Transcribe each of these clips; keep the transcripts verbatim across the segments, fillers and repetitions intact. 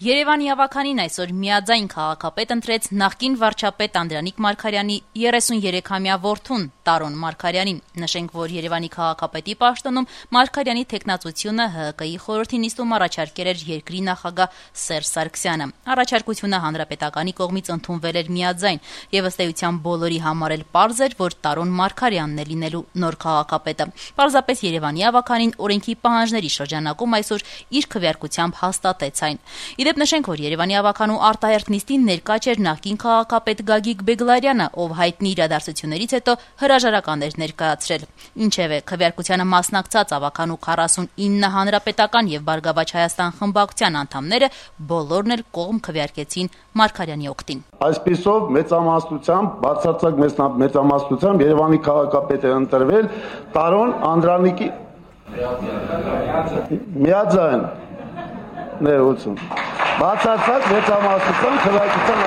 Երևանի ավականին այսօր միաձայն քաղաքապետ ընտրեց նախկին վարչապետ Անդրանիկ Մարգարյանի երեսուներեքամյա որդուն Տարոն Մարգարյանին։ Նշենք, որ Երևանի քաղաքապետի պաշտոնում Մարգարյանի թեկնածությունը Հ Հ Կ-ի խորհրդի նիստում առաջարկել էր երկրի նախագահ Սերժ Սարգսյանը։ Առաջարկությունը հանրապետականի կողմից ընդունվել էր միաձայն, եւ ըստ էության բոլորի համար էլ պարզ էր, որ Տարոն Մարգարյանն է լինելու նոր քաղաքապետը։ Պարզապես Երևանի ավականին օրենքի պահանջների շրջանակում այսօր իր քվեարկությամբ հաստատեց այն։ Իդեպ նշենք, որ Երևանի ավականու արտահերթ նիստին ներկա չէր նախկին քաղաքապետ Գագիկ Բեգլարյանը, ով հայտնի իրադարձություններից հետո հրաժարական էր ներկայացրել։ Ինչևէ, քվեարկությանը մասնակցած ավականու քառասունինը հանրապետական եւ Բարգավաճ Հայաստան խմբակցության անդամները բոլորն էլ կողմ քվեարկեցին Մարգարյանի օգտին։ Այսպիսով մեծամասնությամբ, բացարձակ մեծամասնությամբ Երևանի քաղաքապետ է ընտրվել Տարոն Անդրանիկի միաձայն ներողություն բացարձակ մեծամասնության քվեարկության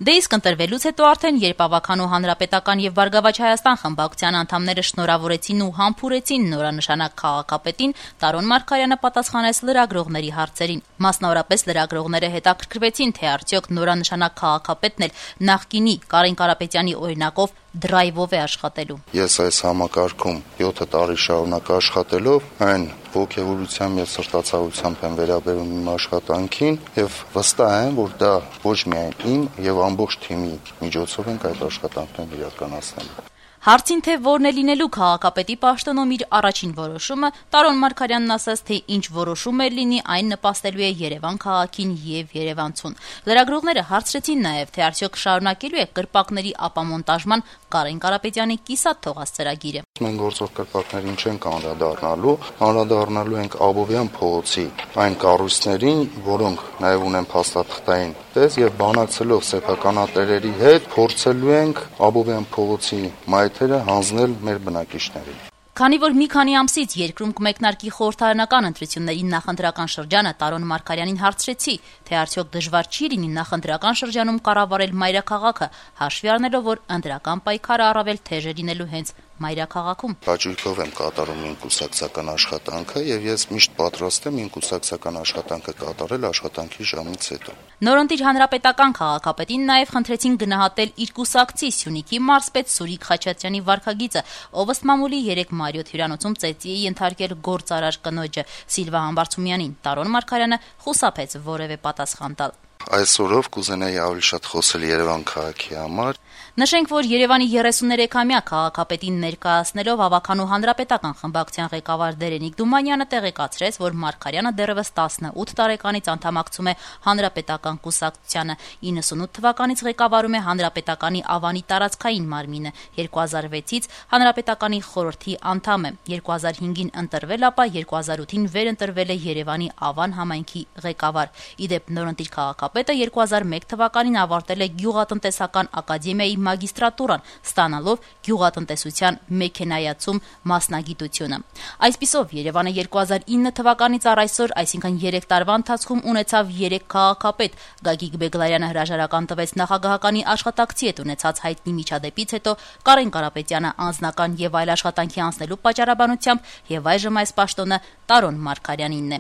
Դե իսկ ընտրվելուց հետո արդեն, երբ ավականու հանրապետական եւ Բարգավաճ Հայաստան խմբակցության անդամները շնորհավորեցին ու համբուրեցին նորանշանակ քաղաքապետին, Տարոն Մարգարյանը պատասխանեց լրագրողների հարցերին։ Մասնավորապես լրագրողները հետաքրքրվեցին, թե արդյոք նորանշանակ քաղաքապետն էլ նախկինի Կարեն Կարապետյանի օրինակով դրայվով է աշխատելու։ Ես այս համակարգում յոթ տարի շարունակ աշխատելով այն ոգևորությամբ եւ սրտացավությամբ եմ վերաբերում իմ աշխատանքին եւ վստահ եմ, որ դա ոչ միայն իմ եւ ամբողջ թիմի միջոցով ենք այդ աշխատանքները իրականացնելու։ Հարցին, թե որն է լինելու քաղաքապետի պաշտոնում իր առաջին որոշումը, Տարոն Մարգարյանն ասաց, թե ինչ որոշում է լինի, այն նպաստելու է Երևան քաղաքին եւ երևանցուն։ Լրագրողները հարցրեցին նաեւ, թե արդյոք շարունակելու է կրպակների ապամոնտաժման Կարեն Կարապետյանի կիսատ թողած ծրագիրը։ Մենք գործող կրպակներին չենք անդրադառնալու, անդրադառնալու ենք Աբովյան փողոցի այն կառույցներին, որոնք նաեւ ունեն փաստաթղթային տես եւ բանակցելով սեփականատերերի հետ փորձելու ենք Աբովյան փողոցի մայթերը հանձնել մեր բնակիչներին։ Քանի որ մի քանի ամսից երկրում կմեկնարկի խորհրդարանական ընտրությունների նախընտրական շրջանը, Տարոն Մարգարյանին հարցրեցի, թե արդյոք դժվար չի լինի նախընտրական շրջանում կառավարել մայրաքաղաքը, հաշվի առնելով, որ ընտրական պայքարը առավել թեժ է լինելու հենց մայրաքաղաքում։ Հաճույքով եմ կատարում իմ կուսակցական աշխատանքը եւ ես միշտ պատրաստ եմ իմ կուսակցական աշխատանքը կատարել աշխատանքի ժամից հետո։ Նորընտիր հանրապետական քաղաքապետին նաեւ խնդրեցին գնահատել իր կուսակցի Սյունիքի մարզպետ Սուրիկ Խաչատրյանի վարքագիծը, ով ըստ մամուլի երեք Մարիոթ հյուրանոցում ծեծի է ենթարկել գործարար կնոջը Սիլվա Համբարձումյանին։ Տարոն Մարգարյանը խուսափեց որևէ պատասխան տալ։ Այսօրով կուզենայի ավելի շատ խոսել Երևան քաղաքի համար։ Նշենք, որ Երևանի երեսուներեքամյա քաղաքապետին ներկայացնելով ավականու հանրապետական խմբակցության ղեկավար Դերենիկ Դումանյանը տեղեկացրեց, որ Մարգարյանը դեռևս տասնութ տարեկանից անդամակցում է հանրապետական կուսակցությանը, իննսունութ թվականից ղեկավարում է հանրապետականի Ավանի տարածքային մարմինը, երկու հազար վեցից հանրապետականի խորհրդի անդամ է, երկու հազար հինգին ընտրվել, ապա երկու հազար ութին վերընտրվել է Երևանի Ավան համայնքի ղեկավար։ Իդեպ նորընտիր քաղաքապետը երկու հազար մեկ թվականին ավարտել է գյուղատնտեսական ակադեմիայի մագիստրատուրան, ստանալով գյուղատնտեսության մեքենայացում մասնագիտությունը։ Այսպիսով Երևանը երկու հազար ինը թվականից առ այսօր, այսինքն երեք տարվա ընթացքում ունեցավ երեք քաղաքապետ։ Գագիկ Բեգլարյանը հրաժարական տվեց նախագահականի աշխատակցի հետ ունեցած հայտնի միջադեպից հետո, Կարեն Կարապետյանը անձնական եւ այլ աշխատանքի անցնելու պատճառաբանությամբ եւ այժմ այս պաշտոնը Տարոն Մարգարյանինն է։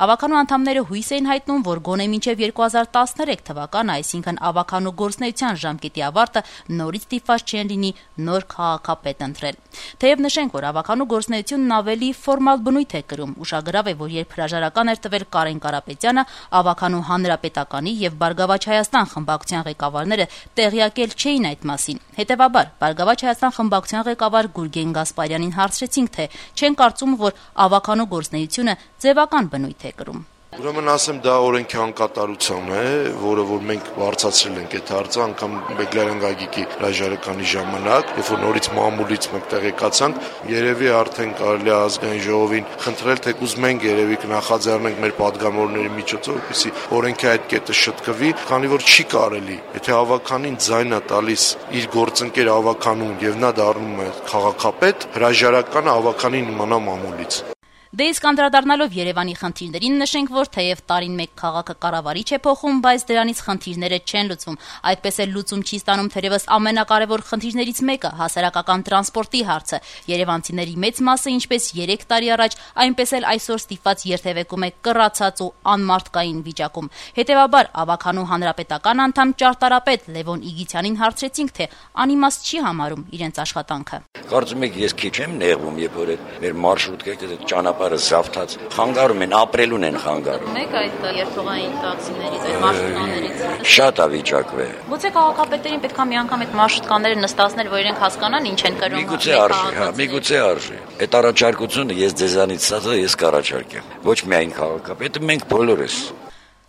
Ավականու անդամները հույս էին հայտնում, որ գոնե մինչեւ երկու հազար տասներեք թվականը, այսինքն ավականու գործնեության ժամկետի ավարտը, նորից ստիպված չեն լինի նոր քաղաքապետ ընտրել։ Թեև նշենք, որ ավականու գործնեությունն ավելի ֆորմալ բնույթ է կրում, ուշագրավ է, որ երբ հրաժարական էր տվել Կարեն Կարապետյանը, ավականու հանրապետականի եւ Բարգավաճ Հայաստան խմբակցության ղեկավարները տեղյակել չէին այդ մասին։ Հետևաբար, Բարգավաճ Հայաստան խմբակցության ղեկավար Գուրգեն Գասպարյանին հարցրեցինք, թե չեն կարծում, որ ավականու գործնեությունը ձևական բնույթ է կրում։ Ուրեմն ասեմ, դա օրենքի անկատարություն է, որը որ մենք բարձրացրել ենք այդ հարցը, անգամ Բեգլարյան Գագիկի հրաժարականի ժամանակ, երբ որ նորից մամուլից մենք տեղեկացանք, երևի արդեն կարելի է ազգային ժողովին խնդրել, թեկուզ մենք երևի կնախաձեռնենք մեր падգամավորների միջոցով, որպեսզի օրենքի այդ կետը շտկվի, քանի որ չի կարելի, եթե ավականին ձայն է տալիս իր գործընկեր ավականուն եւ նա դառնում է քաղաքապետ, հրաժարականը ավականին իմանա մամուլից։ Դե իսկ անդրադառնալով Երևանի խնդիրներին նշենք, որ թեև տարին մեկ քաղաքը կառավարիչ է փոխում, բայց դրանից խնդիրները չեն լուծվում։ Այդպես էլ լուծում չի ստանում թերևս ամենակարևոր խնդիրներից մեկը՝ հասարակական տրանսպորտի հարցը։ Երևանցիների մեծ մասը ինչպես երեք տարի առաջ, այնպես էլ այսօր ստիպված երթևեկում է կռացած ու անմարդկային վիճակում։ Հետևաբար Ավագանու հանրապետական անդամ ճարտարապետ Լևոն Իգիթյանին հարցրեցինք, թե անիմաստ չի համարում իրենց աշխատանքը։ Կարծում եք ես քիչ եմ նեղվում, երբ որ մեր մարշրուտները ճանապարհը զավթած խանգարում են, ապրելուն են խանգարում։ Մեկ այդ երթողային տաքսիներից, այդ մարշրուտներից շատ ավիճակվել։ Գուցե քաղաքապետերին պետք է մի անգամ այդ մարշրուտկաները նստացնել, որ իրենք հասկանան ինչ են կրում։ Միգուցե արժի, հա, միգուցե արժի։ Այդ առաջարկությունը ես ձեզանից սա ես կառաջարկեմ։ Ոչ միայն քաղաքապետը, մենք բոլորս։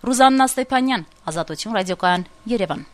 Ռուզաննա Ստեփանյան, Ազատություն ռադիոկայան, Երևան։